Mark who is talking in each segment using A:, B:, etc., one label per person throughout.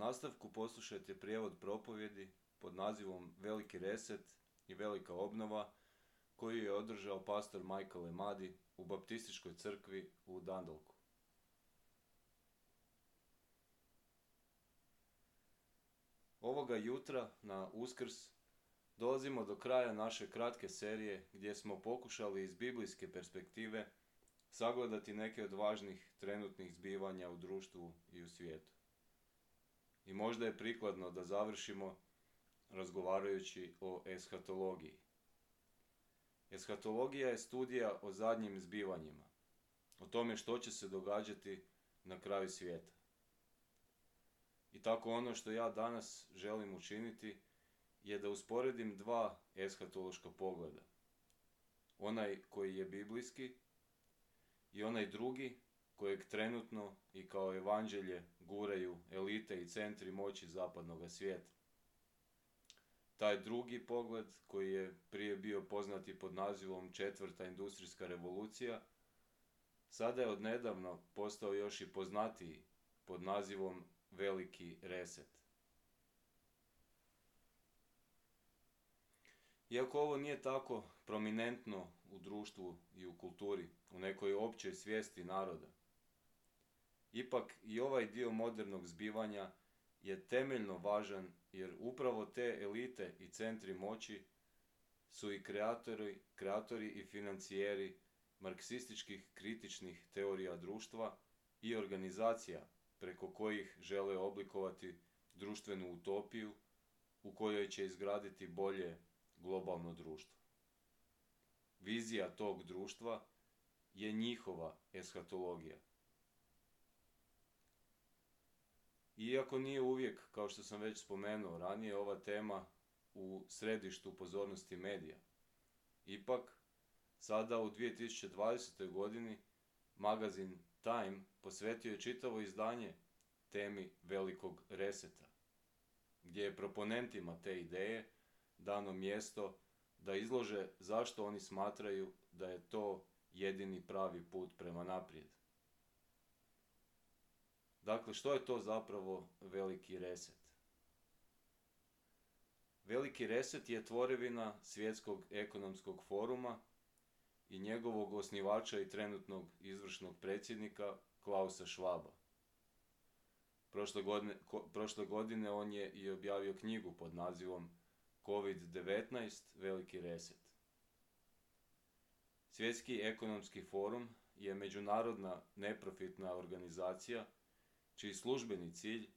A: nastavku poslušajte prijevod propovjedi pod nazivom Veliki reset i velika obnova koju je održao pastor Michael Emadi u Baptističkoj crkvi u Dundalku. Ovoga jutra na Uskrs dolazimo do kraja naše kratke serije gdje smo pokušali iz biblijske perspektive sagledati neke od važnih trenutnih zbivanja u društvu i u svijetu. I možda je prikladno da završimo razgovarajući o eshatologiji. Eshatologija je studija o zadnjim zbivanjima, o tome što će se događati na kraju svijeta. I tako ono što ja danas želim učiniti je da usporedim dva eshatološka pogleda. Onaj koji je biblijski i onaj drugi kojeg trenutno i kao evanđelje guraju elite i centri moći zapadnog svijeta. Taj drugi pogled, koji je prije bio poznati pod nazivom Četvrta industrijska revolucija, sada je odnedavno postao još i poznatiji pod nazivom Veliki reset. Iako ovo nije tako prominentno u društvu i u kulturi, u nekoj općoj svijesti naroda, ipak i ovaj dio modernog zbivanja je temeljno važan jer upravo te elite i centri moći su i kreatori i financijeri marksističkih kritičnih teorija društva i organizacija preko kojih žele oblikovati društvenu utopiju u kojoj će izgraditi bolje globalno društvo. Vizija tog društva je njihova eshatologija. Iako nije uvijek, kao što sam već spomenuo ranije, ova tema u središtu pozornosti medija, ipak, sada u 2020. godini magazin Time posvetio je čitavo izdanje temi velikog reseta, gdje je proponentima te ideje dano mjesto da izlože zašto oni smatraju da je to jedini pravi put prema naprijed. Dakle, što je to zapravo veliki reset? Veliki reset je tvorevina Svjetskog ekonomskog foruma i njegovog osnivača i trenutnog izvršnog predsjednika Klausa Schwaba. Prošle godine on je i objavio knjigu pod nazivom COVID-19 Veliki reset. Svjetski ekonomski forum je međunarodna neprofitna organizacija čiji službeni cilj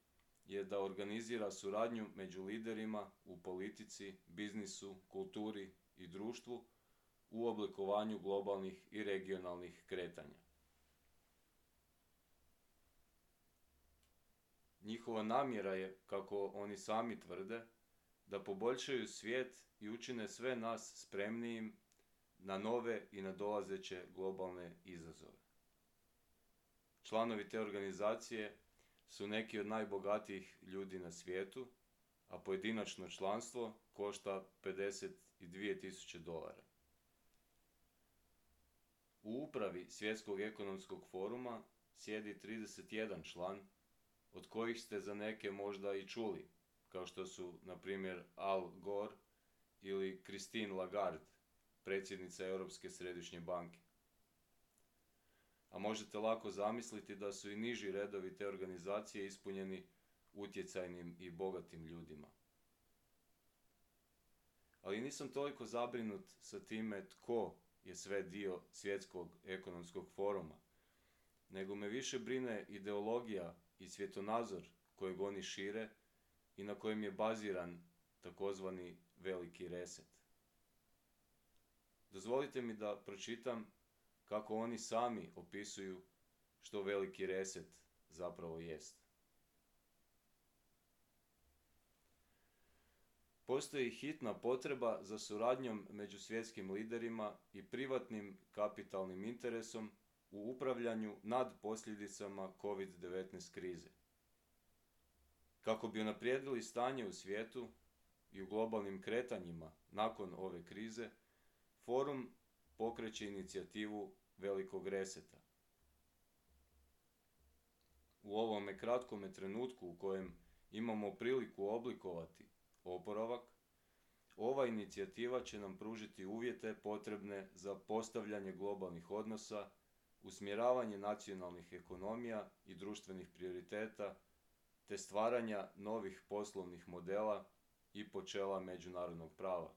A: je da organizira suradnju među liderima u politici, biznisu, kulturi i društvu u oblikovanju globalnih i regionalnih kretanja. Njihova namjera je, kako oni sami tvrde, da poboljšaju svijet i učine sve nas spremnijim na nove i nadolazeće globalne izazove. Članovi te organizacije su neki od najbogatijih ljudi na svijetu, a pojedinačno članstvo košta $52.000. U upravi Svjetskog ekonomskog foruma sjedi 31 član, od kojih ste za neke možda i čuli, kao što su, na primjer, Al Gore ili Christine Lagarde, predsjednica Europske središnje banke. A možete lako zamisliti da su i niži redovi te organizacije ispunjeni utjecajnim i bogatim ljudima. Ali nisam toliko zabrinut sa time tko je sve dio Svjetskog ekonomskog foruma, nego me više brine ideologija i svjetonazor kojeg oni šire i na kojem je baziran takozvani veliki reset. Dozvolite mi da pročitam kako oni sami opisuju što veliki reset zapravo jest. Postoji hitna potreba za suradnjom među svjetskim liderima i privatnim kapitalnim interesom u upravljanju nad posljedicama COVID-19 krize. Kako bi unaprijedili stanje u svijetu i u globalnim kretanjima nakon ove krize, forum pokreće inicijativu velikog reseta. U ovome kratkome trenutku u kojem imamo priliku oblikovati oporavak, ova inicijativa će nam pružiti uvjete potrebne za postavljanje globalnih odnosa, usmjeravanje nacionalnih ekonomija i društvenih prioriteta, te stvaranja novih poslovnih modela i počela međunarodnog prava.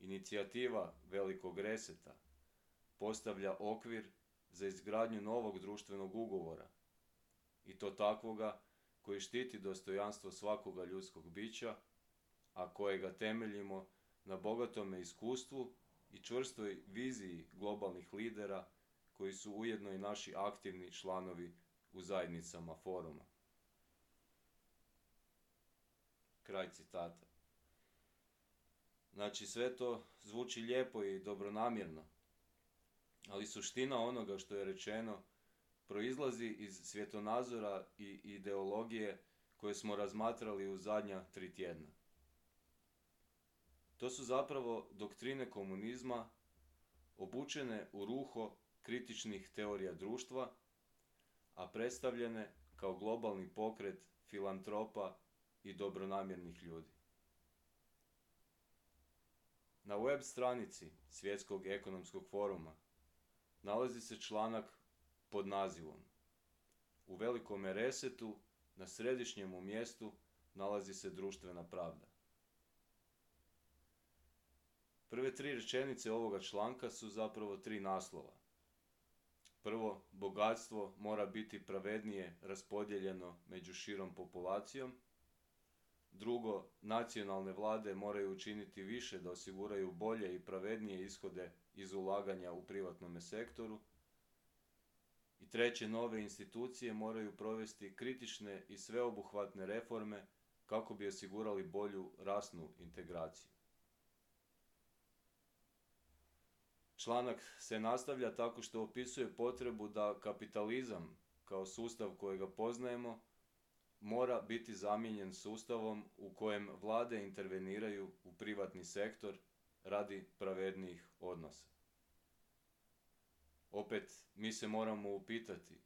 A: Inicijativa Velikog reseta postavlja okvir za izgradnju novog društvenog ugovora, i to takvoga koji štiti dostojanstvo svakoga ljudskog bića, a kojega temeljimo na bogatome iskustvu i čvrstoj viziji globalnih lidera koji su ujedno i naši aktivni članovi u zajednicama foruma. Kraj citata. Znači, sve to zvuči lijepo i dobronamjerno, ali suština onoga što je rečeno proizlazi iz svjetonazora i ideologije koje smo razmatrali u zadnja 3 tjedna. To su zapravo doktrine komunizma obučene u ruho kritičnih teorija društva, a predstavljene kao globalni pokret filantropa i dobronamjernih ljudi. Na web stranici Svjetskog ekonomskog foruma nalazi se članak pod nazivom U velikome resetu na središnjemu mjestu nalazi se društvena pravda. Prve 3 rečenice ovoga članka su zapravo 3 naslova. Prvo, bogatstvo mora biti pravednije raspodijeljeno među širom populacijom. Drugo, nacionalne vlade moraju učiniti više da osiguraju bolje i pravednije ishode iz ulaganja u privatnome sektoru. I treće, nove institucije moraju provesti kritične i sveobuhvatne reforme kako bi osigurali bolju rasnu integraciju. Članak se nastavlja tako što opisuje potrebu da kapitalizam, kao sustav kojega poznajemo, mora biti zamijenjen sustavom u kojem vlade interveniraju u privatni sektor radi pravednijih odnosa. Opet, mi se moramo upitati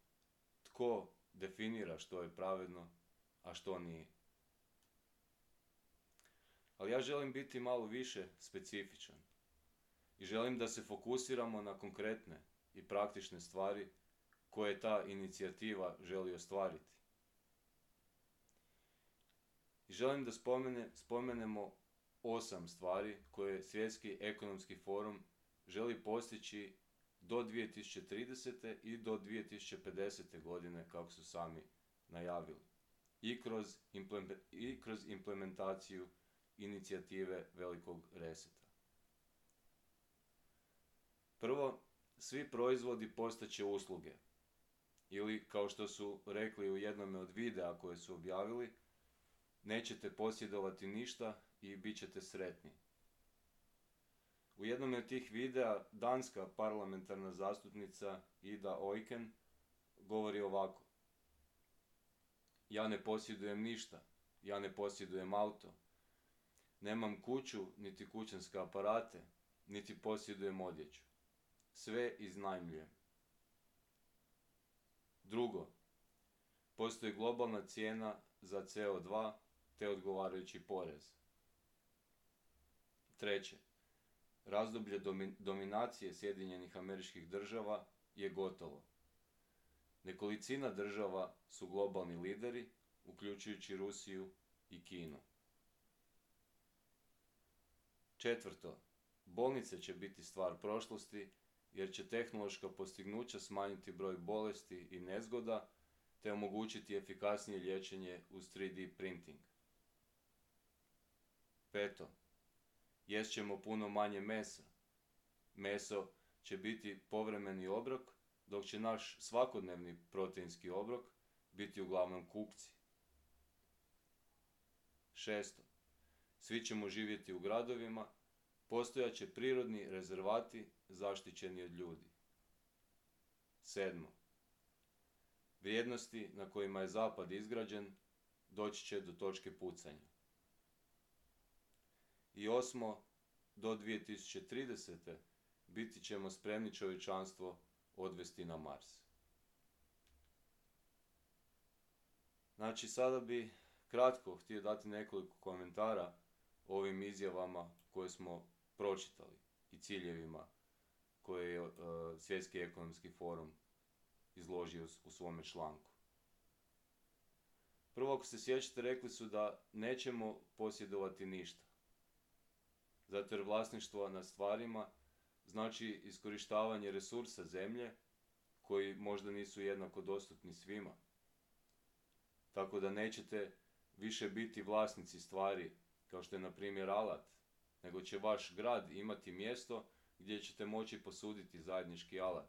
A: tko definira što je pravedno, a što nije. Ali ja želim biti malo više specifičan i želim da se fokusiramo na konkretne i praktične stvari koje ta inicijativa želi ostvariti. I želim da spomenemo 8 stvari koje Svjetski ekonomski forum želi postići do 2030. i do 2050. godine, kako su sami najavili, i kroz implementaciju inicijative Velikog reseta. Prvo, svi proizvodi postaće usluge, ili kao što su rekli u jednom od videa koje su objavili, nećete posjedovati ništa i bit ćete sretni. U jednom od tih videa danska parlamentarna zastupnica Ida Oyken govori ovako: Ja ne posjedujem ništa, ja ne posjedujem auto, nemam kuću niti kućanske aparate, niti posjedujem odjeću. Sve iznajmljujem. Drugo, postoji globalna cijena za CO2 te odgovarajući porez. Treće, razdoblje dominacije Sjedinjenih Američkih Država je gotovo. Nekolicina država su globalni lideri, uključujući Rusiju i Kinu. Četvrto, bolnice će biti stvar prošlosti jer će tehnološka postignuća smanjiti broj bolesti i nezgoda te omogućiti efikasnije liječenje uz 3D printing. Peto, jest ćemo puno manje mesa. Meso će biti povremeni obrok, dok će naš svakodnevni proteinski obrok biti uglavnom kukci. Šesto, svi ćemo živjeti u gradovima, postojaće prirodni rezervati zaštićeni od ljudi. Sedmo, vrijednosti na kojima je Zapad izgrađen doći će do točke pucanja. I osmo, do 2030. biti ćemo spremni čovječanstvo odvesti na Mars. Znači, sada bi kratko htio dati nekoliko komentara o ovim izjavama koje smo pročitali i ciljevima koje je Svjetski ekonomski forum izložio u svome članku. Prvo, ako se sjećate, rekli su da nećemo posjedovati ništa. Zato jer vlasništvo nad stvarima znači iskorištavanje resursa zemlje koji možda nisu jednako dostupni svima. Tako da nećete više biti vlasnici stvari kao što je na primjer alat, nego će vaš grad imati mjesto gdje ćete moći posuditi zajednički alat.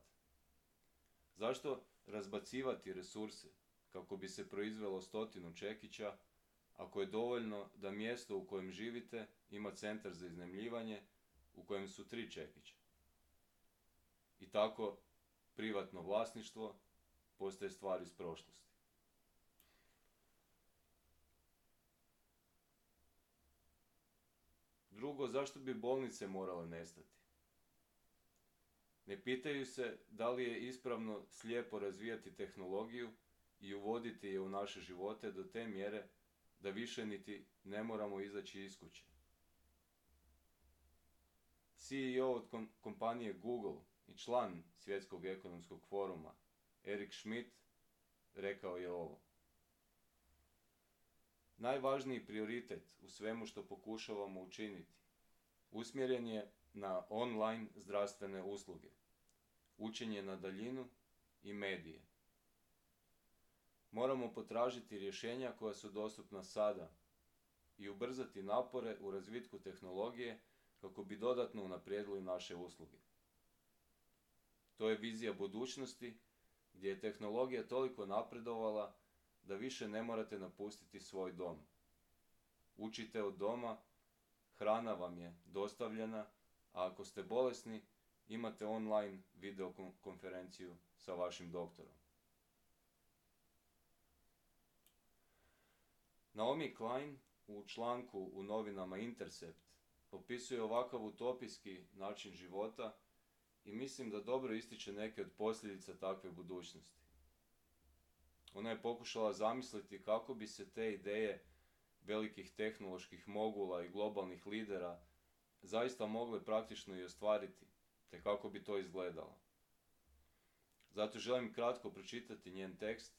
A: Zašto razbacivati resurse kako bi se proizvelo 100 čekića, ako je dovoljno da mjesto u kojem živite ima centar za iznajmljivanje u kojem su 3 čekića? I tako privatno vlasništvo postaje stvar iz prošlosti. Drugo, zašto bi bolnice morale nestati? Ne pitaju se da li je ispravno slijepo razvijati tehnologiju i uvoditi je u naše živote do te mjere da više niti ne moramo izaći iz kuće. CEO od kompanije Google i član Svjetskog ekonomskog foruma Eric Schmidt rekao je ovo: najvažniji prioritet u svemu što pokušavamo učiniti usmjeren je na online zdravstvene usluge, učenje na daljinu i medije. Moramo potražiti rješenja koja su dostupna sada i ubrzati napore u razvitku tehnologije kako bi dodatno unaprijedili naše usluge. To je vizija budućnosti gdje je tehnologija toliko napredovala da više ne morate napustiti svoj dom. Učite od doma, hrana vam je dostavljena, a ako ste bolesni, imate online videokonferenciju sa vašim doktorom. Naomi Klein u članku u novinama Intercept opisuje ovakav utopijski način života i mislim da dobro ističe neke od posljedica takve budućnosti. Ona je pokušala zamisliti kako bi se te ideje velikih tehnoloških mogula i globalnih lidera zaista mogle praktično i ostvariti, te kako bi to izgledalo. Zato želim kratko pročitati njen tekst,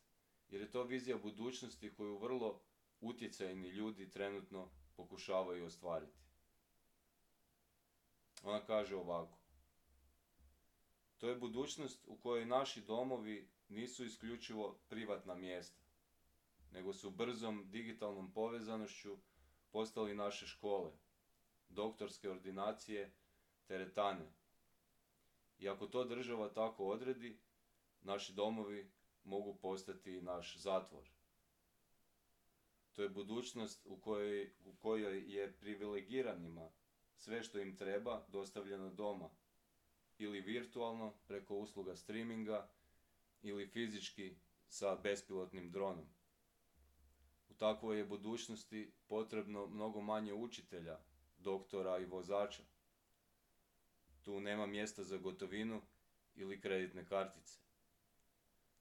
A: jer je to vizija budućnosti koju vrlo utjecajni ljudi trenutno pokušavaju ostvariti. Ona kaže ovako: to je budućnost u kojoj naši domovi nisu isključivo privatna mjesta, nego su brzom digitalnom povezanošću postali naše škole, doktorske ordinacije, teretane. I ako to država tako odredi, naši domovi mogu postati naš zatvor. To je budućnost u kojoj je privilegiranima sve što im treba dostavljeno doma, ili virtualno preko usluga streaminga, ili fizički sa bespilotnim dronom. U takvoj je budućnosti potrebno mnogo manje učitelja, doktora i vozača. Tu nema mjesta za gotovinu ili kreditne kartice.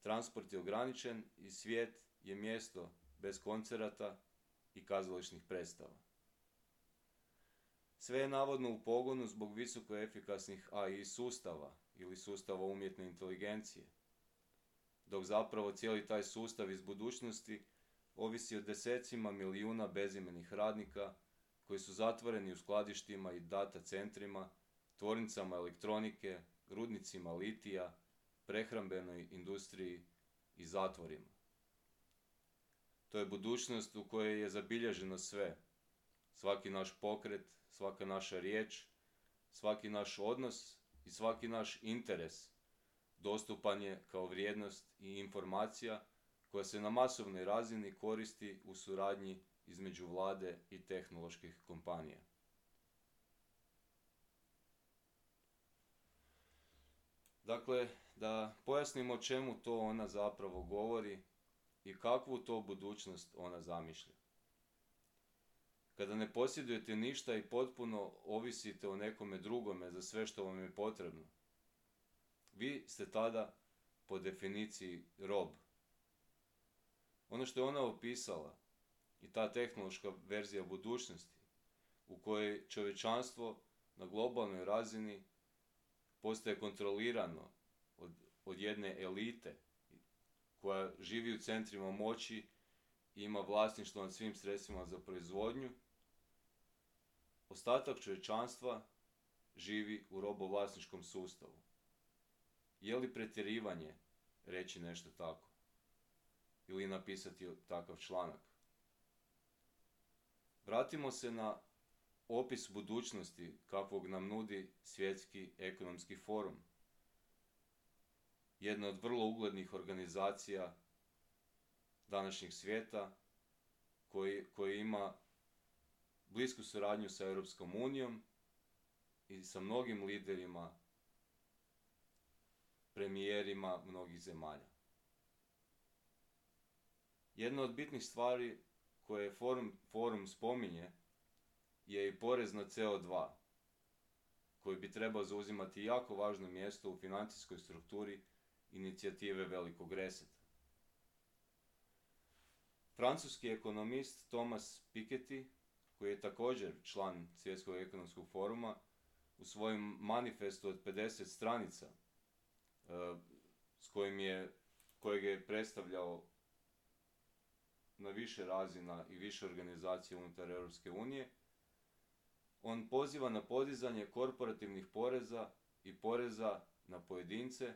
A: Transport je ograničen i svijet je mjesto bez koncerata i kazališnih predstava. Sve je navodno u pogonu zbog visoko efikasnih AI sustava ili sustava umjetne inteligencije, dok zapravo cijeli taj sustav iz budućnosti ovisi o desecima milijuna bezimenih radnika koji su zatvoreni u skladištima i data centrima, tvornicama elektronike, rudnicima litija, prehrambenoj industriji i zatvorima. To je budućnost u kojoj je zabilježeno sve. Svaki naš pokret, svaka naša riječ, svaki naš odnos i svaki naš interes dostupan je kao vrijednost i informacija koja se na masovnoj razini koristi u suradnji između vlade i tehnoloških kompanija. Dakle, da pojasnimo o čemu to ona zapravo govori i kakvu to budućnost ona zamišlja. Kada ne posjedujete ništa i potpuno ovisite o nekome drugome za sve što vam je potrebno, vi ste tada po definiciji rob. Ono što je ona opisala i ta tehnološka verzija budućnosti u kojoj čovječanstvo na globalnoj razini postaje kontrolirano od jedne elite koja živi u centrima moći i ima vlasništvo nad svim sredstvima za proizvodnju, ostatak čovječanstva živi u robovlasničkom sustavu. Je li pretjerivanje reći nešto tako? Ili napisati takav članak? Vratimo se na opis budućnosti kakvog nam nudi Svjetski ekonomski forum. Jedna od vrlo uglednih organizacija današnjeg svijeta koji ima blisku suradnju sa Europskom unijom i sa mnogim liderima, premijerima mnogih zemalja. Jedna od bitnih stvari koje forum spominje je i porez na CO2, koji bi trebao zauzimati jako važno mjesto u financijskoj strukturi inicijative Velikog reseta. Francuski ekonomist Thomas Piketty, koji je također član Svjetskog ekonomskog foruma, u svojem manifestu od 50 stranica, kojeg je predstavljao na više razina i više organizacija unutar Europske unije, on poziva na podizanje korporativnih poreza i poreza na pojedince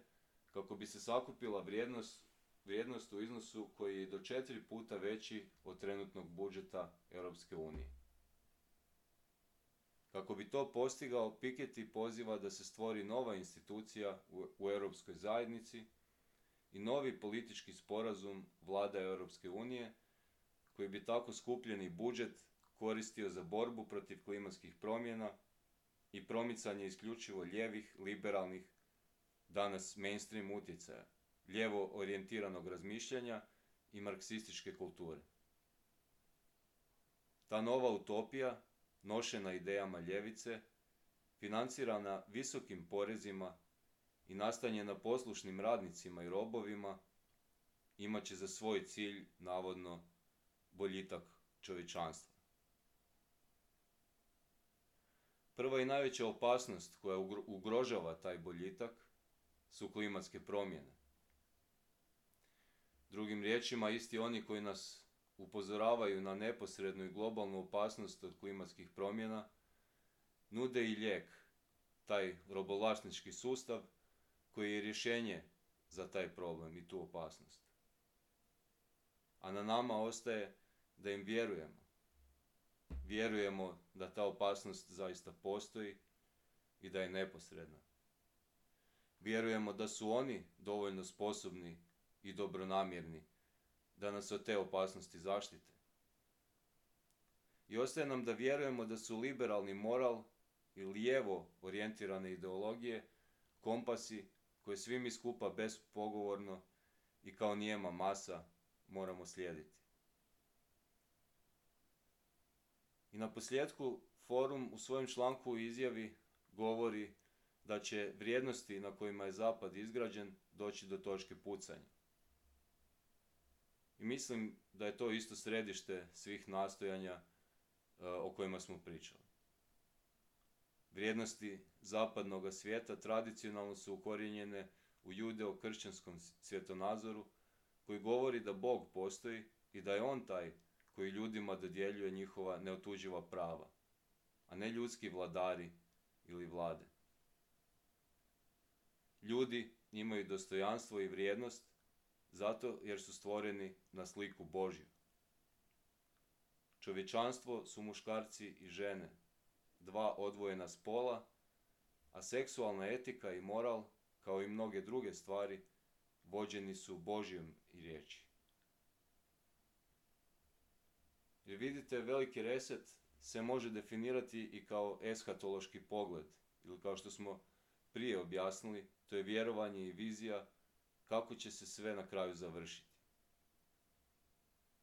A: kako bi se sakupila vrijednost u iznosu koji je do 4 puta veći od trenutnog budžeta Europske unije. Kako bi to postigao, Piketty poziva da se stvori nova institucija u Europskoj zajednici i novi politički sporazum vlada Europske unije, koji bi tako skupljeni budžet koristio za borbu protiv klimatskih promjena i promicanje isključivo lijevih, liberalnih, danas mainstream utjecaja, lijevo orijentiranog razmišljanja i marksističke kulture. Ta nova utopija, nošena idejama ljevice, financirana visokim porezima i nastanjena poslušnim radnicima i robovima, imat će za svoj cilj, navodno, boljitak čovječanstva. Prva i najveća opasnost koja ugrožava taj boljitak su klimatske promjene. Drugim riječima, isti oni koji nas upozoravaju na neposrednu i globalnu opasnost od klimatskih promjena, nude i lijek, taj robovlasnički sustav koji je rješenje za taj problem i tu opasnost. A na nama ostaje da im vjerujemo. Vjerujemo da ta opasnost zaista postoji i da je neposredna. Vjerujemo da su oni dovoljno sposobni i dobronamjerni da nas od te opasnosti zaštite. I ostaje nam da vjerujemo da su liberalni moral i lijevo orijentirane ideologije kompasi koje svi mi skupa bespogovorno i kao nijema masa moramo slijediti. I na posljedku forum u svojem članku i izjavi govori da će vrijednosti na kojima je Zapad izgrađen doći do točke pucanja. I mislim da je to isto središte svih nastojanja o kojima smo pričali. Vrijednosti zapadnog svijeta tradicionalno su ukorijenjene u judeo-kršćanskom svjetonazoru koji govori da Bog postoji i da je On taj koji ljudima dodjeljuje njihova neotuđiva prava, a ne ljudski vladari ili vlade. Ljudi imaju dostojanstvo i vrijednost zato jer su stvoreni na sliku Božju. Čovječanstvo su muškarci i žene, dva odvojena spola, a seksualna etika i moral, kao i mnoge druge stvari, vođeni su Božjom i riječi. Jer vidite, veliki reset se može definirati i kao eshatološki pogled, ili kao što smo prije objasnili, to je vjerovanje i vizija kako će se sve na kraju završiti.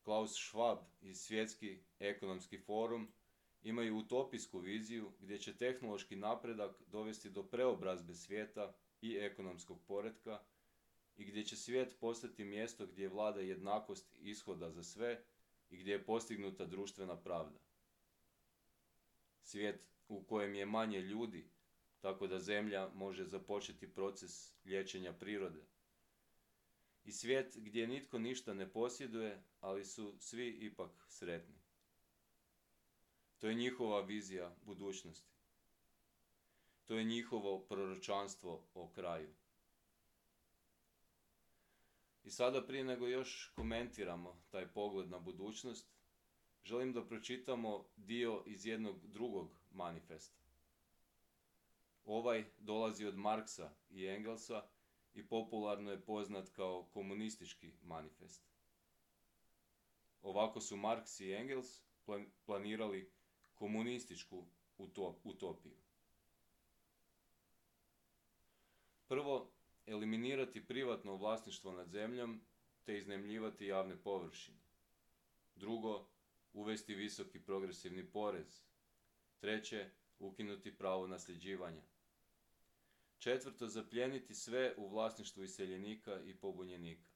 A: Klaus Schwab i Svjetski ekonomski forum imaju utopijsku viziju gdje će tehnološki napredak dovesti do preobrazbe svijeta i ekonomskog poretka i gdje će svijet postati mjesto gdje vlada jednakost ishoda za sve i gdje je postignuta društvena pravda. Svijet u kojem je manje ljudi, tako da Zemlja može započeti proces liječenja prirode. I svijet gdje nitko ništa ne posjeduje, ali su svi ipak sretni. To je njihova vizija budućnosti. To je njihovo proročanstvo o kraju. I sada, prije nego još komentiramo taj pogled na budućnost, želim da pročitamo dio iz jednog drugog manifesta. Ovaj dolazi od Marksa i Engelsa i popularno je poznat kao komunistički manifest. Ovako su Marks i Engels planirali komunističku utopiju. Prvo, eliminirati privatno vlasništvo nad zemljom te iznajmljivati javne površine. Drugo, uvesti visoki progresivni porez. Treće, ukinuti pravo nasljeđivanja. Četvrto, zaplijeniti sve u vlasništvu iseljenika i pobunjenika.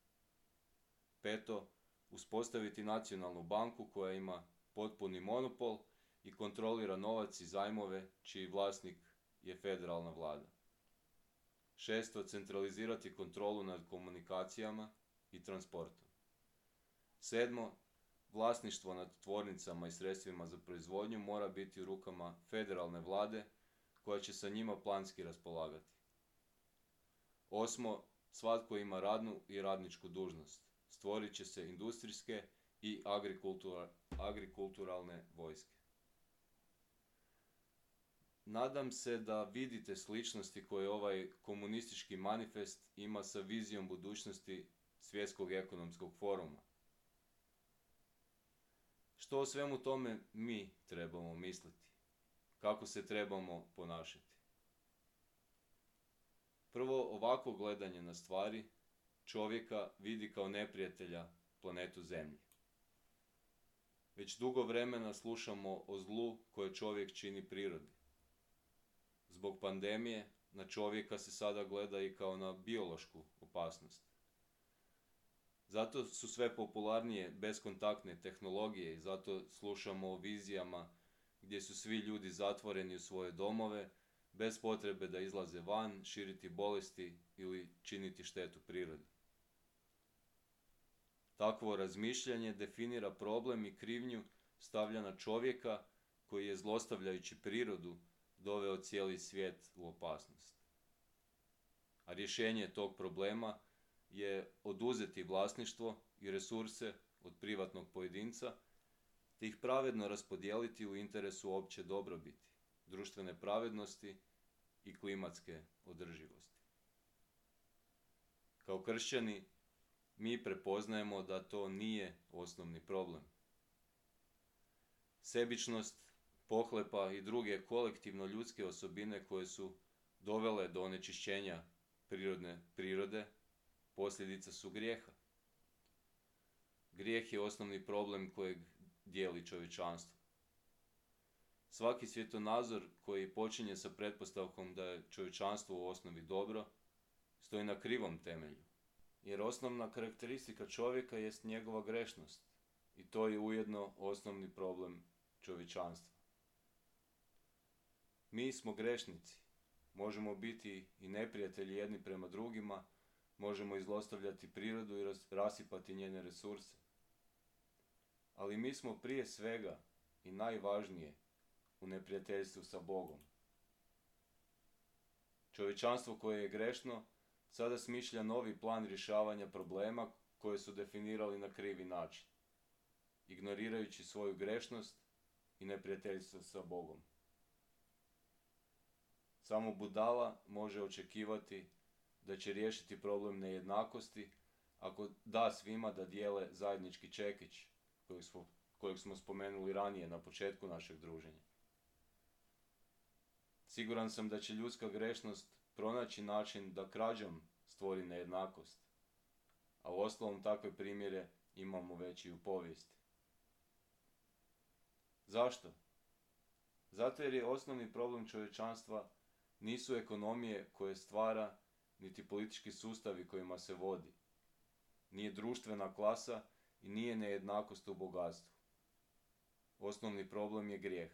A: Peto, uspostaviti nacionalnu banku koja ima potpuni monopol i kontrolira novac i zajmove čiji vlasnik je federalna vlada. Šesto, centralizirati kontrolu nad komunikacijama i transportom. Sedmo, vlasništvo nad tvornicama i sredstvima za proizvodnju mora biti u rukama federalne vlade koja će sa njima planski raspolagati. Osmo, svatko ima radnu i radničku dužnost. Stvorit će se industrijske i agrikulturalne vojske. Nadam se da vidite sličnosti koje ovaj komunistički manifest ima sa vizijom budućnosti Svjetskog ekonomskog foruma. Što o svemu tome mi trebamo misliti? Kako se trebamo ponašati? Prvo, ovako gledanje na stvari čovjeka vidi kao neprijatelja planetu Zemlji. Već dugo vremena slušamo o zlu koje čovjek čini prirodi. Zbog pandemije na čovjeka se sada gleda i kao na biološku opasnost. Zato su sve popularnije beskontaktne tehnologije i zato slušamo o vizijama gdje su svi ljudi zatvoreni u svoje domove, bez potrebe da izlaze van, širiti bolesti ili činiti štetu prirodi. Takvo razmišljanje definira problem i krivnju stavlja na čovjeka koji je zlostavljajući prirodu doveo cijeli svijet u opasnost. A rješenje tog problema je oduzeti vlasništvo i resurse od privatnog pojedinca te ih pravedno raspodijeliti u interesu opće dobrobiti, društvene pravednosti i klimatske održivosti. Kao kršćani, mi prepoznajemo da to nije osnovni problem. Sebičnost, pohlepa i druge kolektivno ljudske osobine koje su dovele do onečišćenja prirode, posljedica su grijeha. Grijeh je osnovni problem kojeg dijeli čovječanstvo. Svaki svjetonazor koji počinje sa pretpostavkom da je čovječanstvo u osnovi dobro, stoji na krivom temelju. Jer osnovna karakteristika čovjeka jest njegova grešnost i to je ujedno osnovni problem čovječanstva. Mi smo grešnici, možemo biti i neprijatelji jedni prema drugima, možemo izlostavljati prirodu i rasipati njene resurse. Ali mi smo prije svega i najvažnije u neprijateljstvu sa Bogom. Čovječanstvo koje je grešno sada smišlja novi plan rješavanja problema koje su definirali na krivi način, ignorirajući svoju grešnost i neprijateljstvo sa Bogom. Samo budala može očekivati da će riješiti problem nejednakosti ako da svima da dijele zajednički čekić kojeg smo spomenuli ranije na početku našeg druženja. Siguran sam da će ljudska grešnost pronaći način da krađom stvori nejednakost, a uostalom takve primjere imamo već i u povijesti. Zašto? Zato jer je osnovni problem čovječanstva nisu ekonomije koje stvara niti politički sustavi kojima se vodi. Nije društvena klasa i nije nejednakost u bogatstvu. Osnovni problem je grijeh.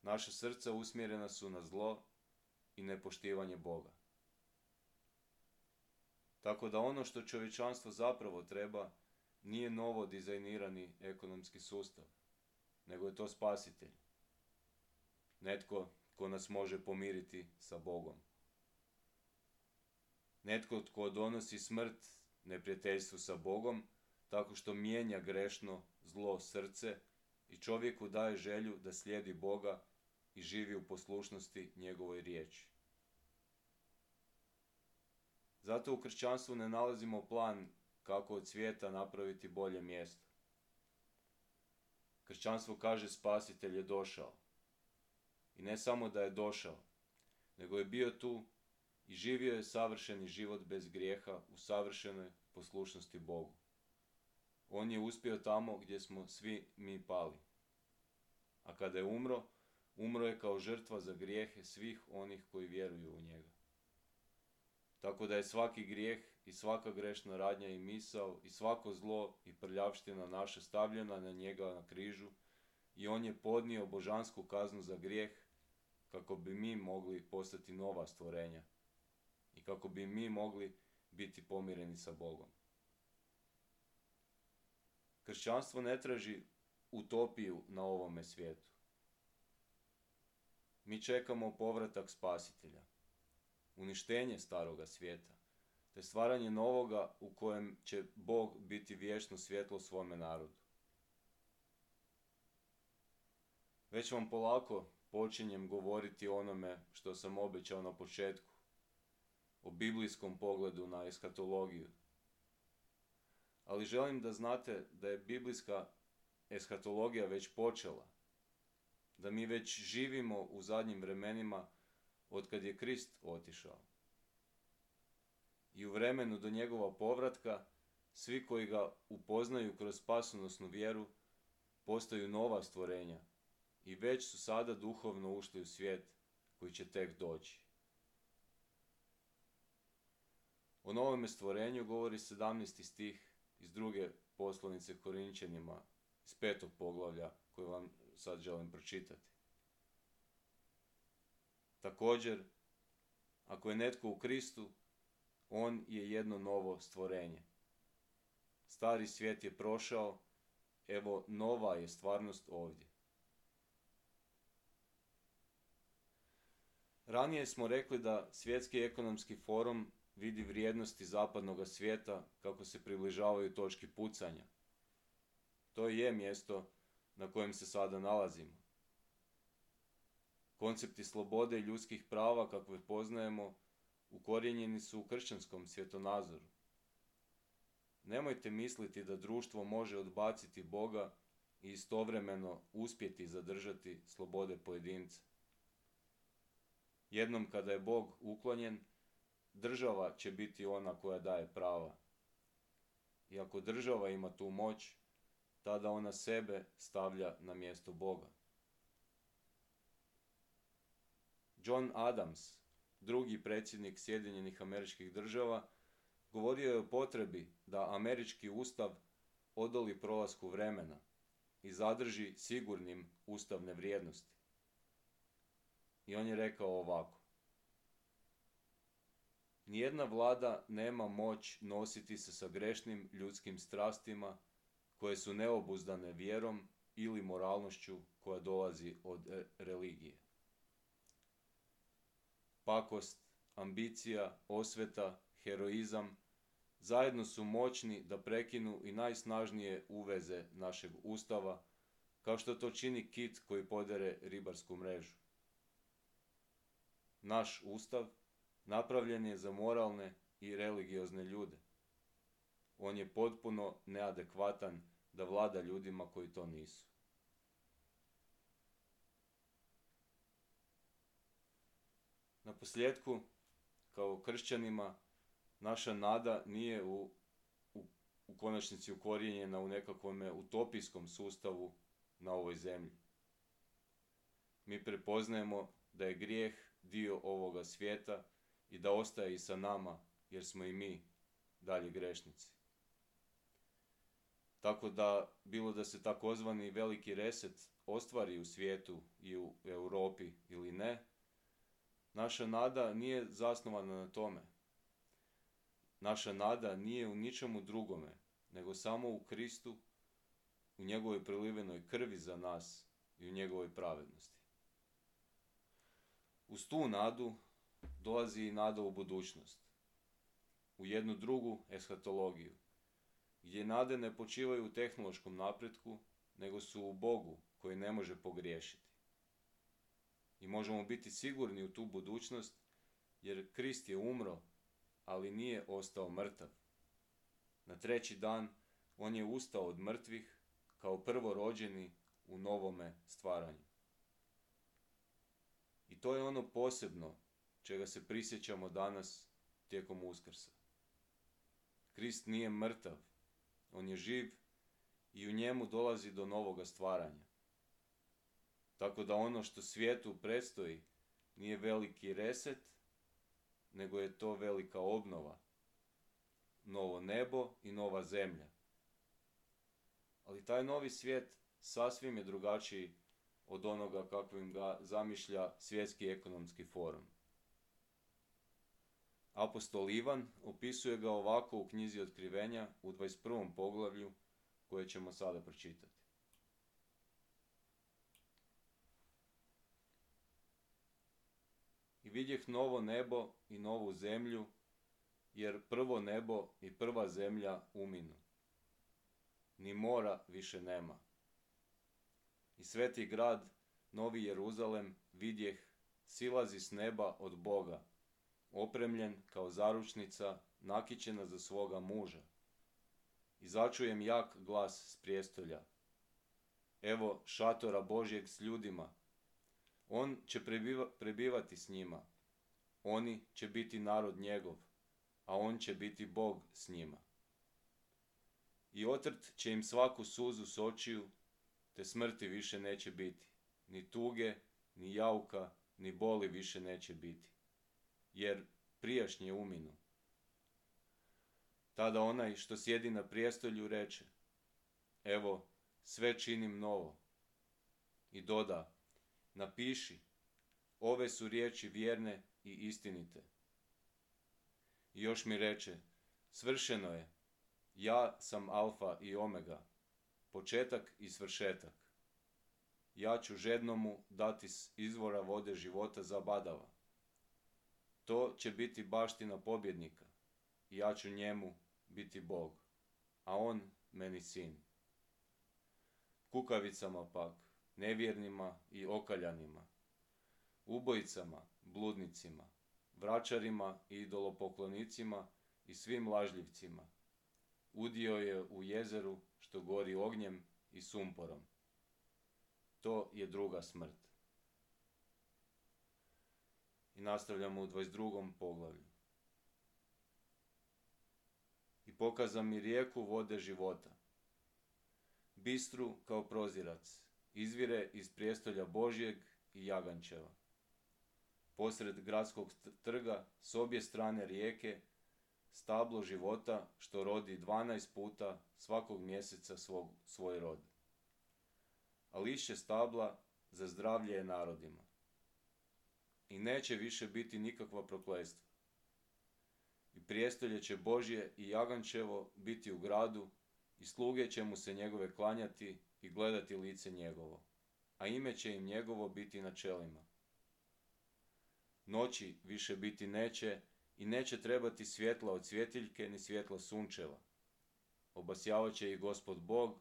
A: Naša srca usmjerena su na zlo i nepoštivanje Boga. Tako da ono što čovječanstvo zapravo treba nije novo dizajnirani ekonomski sustav, nego je to spasitelj. Netko tko nas može pomiriti sa Bogom. Netko tko donosi smrt neprijateljstvu sa Bogom, tako što mijenja grešno zlo srce i čovjeku daje želju da slijedi Boga i živi u poslušnosti njegovoj riječi. Zato u kršćanstvu ne nalazimo plan kako od svijeta napraviti bolje mjesto. Kršćanstvo kaže spasitelj je došao. I ne samo da je došao, nego je bio tu i živio je savršeni život bez grijeha u savršenoj poslušnosti Bogu. On je uspio tamo gdje smo svi mi pali. A kada je umro je kao žrtva za grijehe svih onih koji vjeruju u njega. Tako da je svaki grijeh i svaka grešna radnja i misao i svako zlo i prljavština naša stavljena na njega na križu i on je podnio božansku kaznu za grijeh kako bi mi mogli postati nova stvorenja i kako bi mi mogli biti pomireni sa Bogom. Kršćanstvo ne traži utopiju na ovome svijetu. Mi čekamo povratak spasitelja, uništenje staroga svijeta, te stvaranje novoga u kojem će Bog biti vječno svjetlo svome narodu. Već vam polako počinjem govoriti o onome što sam obećao na početku, o biblijskom pogledu na eskatologiju. Ali želim da znate da je biblijska eskatologija već počela, da mi već živimo u zadnjim vremenima otkad je Krist otišao. I u vremenu do njegova povratka, svi koji ga upoznaju kroz spasonosnu vjeru, postaju nova stvorenja i već su sada duhovno ušli u svijet koji će tek doći. O novome stvorenju govori 17. stih iz druge poslanice Korinčanima, iz 5. poglavlja, koje vam sad želim pročitati. Također, ako je netko u Kristu, on je jedno novo stvorenje. Stari svijet je prošao, evo nova je stvarnost ovdje. Ranije smo rekli da Svjetski ekonomski forum vidi vrijednosti zapadnog svijeta kako se približavaju točki pucanja. To je mjesto na kojem se sada nalazimo. Koncepti slobode i ljudskih prava kakve poznajemo ukorijenjeni su u kršćanskom svjetonazoru. Nemojte misliti da društvo može odbaciti Boga i istovremeno uspjeti zadržati slobode pojedinca. Jednom kada je Bog uklonjen, država će biti ona koja daje prava. I ako država ima tu moć, tada ona sebe stavlja na mjesto Boga. John Adams, drugi predsjednik Sjedinjenih Američkih Država, govorio je o potrebi da američki ustav odoli prolasku vremena i zadrži sigurnim ustavne vrijednosti. I on je rekao ovako: nijedna vlada nema moć nositi se sa grešnim ljudskim strastima koje su neobuzdane vjerom ili moralnošću koja dolazi od religije. Pakost, ambicija, osveta, heroizam zajedno su moćni da prekinu i najsnažnije uveze našeg ustava, kao što to čini kit koji podere ribarsku mrežu. Naš ustav napravljen je za moralne i religiozne ljude. On je potpuno neadekvatan da vlada ljudima koji to nisu. Naposljetku, kao kršćanima, naša nada nije u konačnici ukorijenjena u nekakvom utopijskom sustavu na ovoj zemlji. Mi prepoznajemo da je grijeh dio ovoga svijeta i da ostaje i sa nama, jer smo i mi dalje grešnici. Tako da, bilo da se takozvani veliki reset ostvari u svijetu i u Europi ili ne, naša nada nije zasnovana na tome. Naša nada nije u ničemu drugome, nego samo u Kristu, u njegovoj prelivenoj krvi za nas i u njegovoj pravednosti. Uz tu nadu dolazi i nada u budućnost, u jednu drugu eshatologiju, gdje nade ne počivaju u tehnološkom napretku, nego su u Bogu koji ne može pogriješiti. I možemo biti sigurni u tu budućnost, jer Krist je umro, ali nije ostao mrtav. Na treći dan on je ustao od mrtvih kao prvorođeni u novome stvaranju. I to je ono posebno čega se prisjećamo danas tijekom Uskrsa. Krist nije mrtav, on je živ i u njemu dolazi do novoga stvaranja. Tako da ono što svijetu predstoji nije veliki reset, nego je to velika obnova, novo nebo i nova zemlja. Ali taj novi svijet sasvim je drugačiji od onoga kakvim ga zamišlja Svjetski ekonomski forum. Apostol Ivan opisuje ga ovako u knjizi Otkrivenja u 21. poglavlju koje ćemo sada pročitati. I vidjeh novo nebo i novu zemlju, jer prvo nebo i prva zemlja uminu. Ni mora više nema. I sveti grad, Novi Jeruzalem, vidjeh, silazi s neba od Boga, opremljen kao zaručnica, nakićena za svoga muža. I začujem jak glas s prijestolja. Evo šatora Božjeg s ljudima. On će prebivati s njima. Oni će biti narod njegov, a on će biti Bog s njima. I otrt će im svaku suzu s očiju, te smrti više neće biti. Ni tuge, ni jauka, ni boli više neće biti. Jer prijašnje uminu. Tada onaj što sjedi na prijestolju reče, evo, sve činim novo. I doda, napiši, ove su riječi vjerne i istinite. I još mi reče, svršeno je, ja sam Alfa i Omega, početak i svršetak. Ja ću žednomu dati s izvora vode života zabadava. To će biti baština pobjednika, i ja ću njemu biti Bog, a on meni sin. Kukavicama pak, nevjernima i okaljanima, ubojicama, bludnicima, vračarima i idolopoklonicima i svim lažljivcima, udio je u jezeru što gori ognjem i sumporom. To je druga smrt. I nastavljamo u 22. poglavlju. I pokaza mi rijeku vode života, bistru kao prozirac, izvire iz prijestolja Božjeg i Jagančeva. Posred gradskog trga, s obje strane rijeke, stablo života što rodi 12 puta svakog mjeseca svoj rod. A lišće stabla za zdravlje je narodima. I neće više biti nikakva prokletstva. I prijestolje će Božje i Jagančevo biti u gradu i sluge će mu se njegove klanjati i gledati lice njegovo, a ime će im njegovo biti na čelima. Noći više biti neće i neće trebati svjetla od svjetiljke ni svjetla sunčeva. Obasjavat će ih Gospod Bog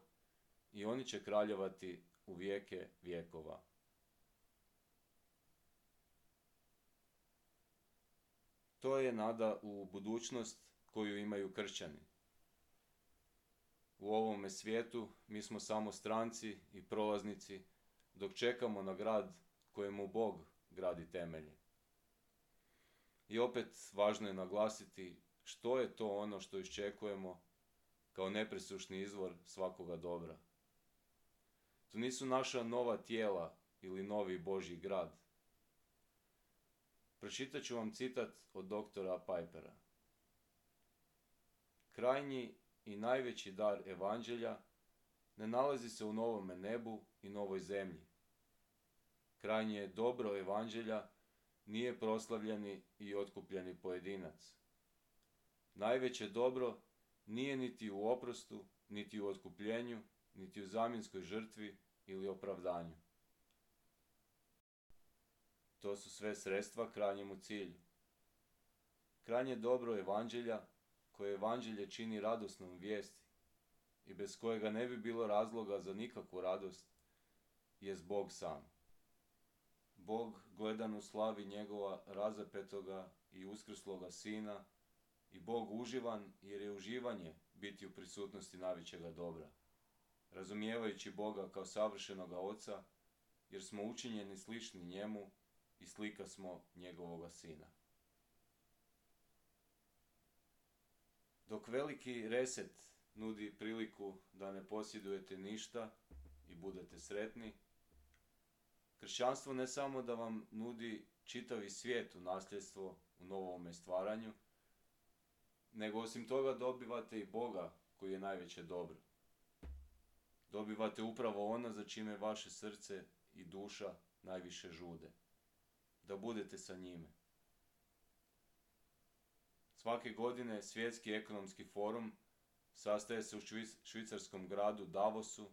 A: i oni će kraljevati u vijeke vjekova. To je nada u budućnost koju imaju kršćani. U ovome svijetu mi smo samo stranci i prolaznici dok čekamo na grad kojemu Bog gradi temelje. I opet važno je naglasiti što je to ono što iščekujemo kao nepresušni izvor svakoga dobra. To nisu naša nova tijela ili novi Božji grad. Pročitat ću vam citat od doktora Pipera. Krajnji i najveći dar evanđelja ne nalazi se u novome nebu i novoj zemlji. Krajnje dobro evanđelja nije proslavljeni i otkupljeni pojedinac. Najveće dobro nije niti u oprostu, niti u otkupljenju, niti u zamjenskoj žrtvi ili opravdanju. To su sve sredstva krajnjemu cilju. Krajnje dobro evanđelja, koje evanđelje čini radosnom vijesti i bez kojega ne bi bilo razloga za nikakvu radost, jest Bog sam. Bog gledan u slavi njegova razapetoga i uskrsloga Sina i Bog uživan jer je uživanje biti u prisutnosti najvećega dobra, razumijevajući Boga kao savršenoga Oca, jer smo učinjeni slični njemu i slika smo njegovoga Sina. Dok veliki reset nudi priliku da ne posjedujete ništa i budete sretni, kršćanstvo ne samo da vam nudi čitavi svijet u nasljedstvo u novome stvaranju, nego osim toga dobivate i Boga koji je najveće dobro. Dobivate upravo ono za čime vaše srce i duša najviše žude. Da budete sa njime. Svake godine Svjetski ekonomski forum sastaje se u švicarskom gradu Davosu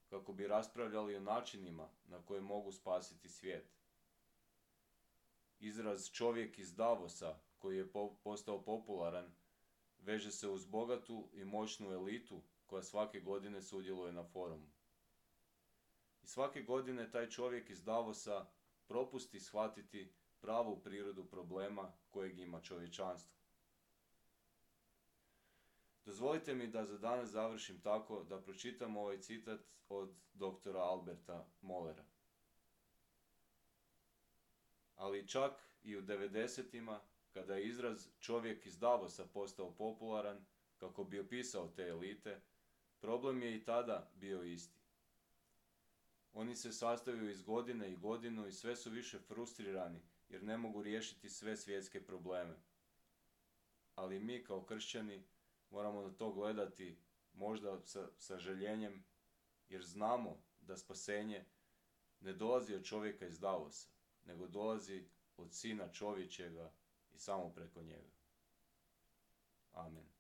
A: kako bi raspravljali o načinima na koje mogu spasiti svijet. Izraz čovjek iz Davosa, koji je postao popularan, veže se uz bogatu i moćnu elitu koja svake godine sudjeluje na forumu. I svake godine taj čovjek iz Davosa propusti shvatiti pravu prirodu problema kojeg ima čovječanstvo. Dozvolite mi da za danas završim tako da pročitam ovaj citat od doktora Alberta Mollera. Ali čak i u 90-ima, kada je izraz čovjek iz Davosa postao popularan kako bi opisao te elite, problem je i tada bio isti. Oni se sastaju iz godine i godinu i sve su više frustrirani jer ne mogu riješiti sve svjetske probleme. Ali mi kao kršćani moramo na to gledati možda sa žaljenjem, jer znamo da spasenje ne dolazi od čovjeka iz Davosa, nego dolazi od Sina čovječega i samo preko njega. Amen.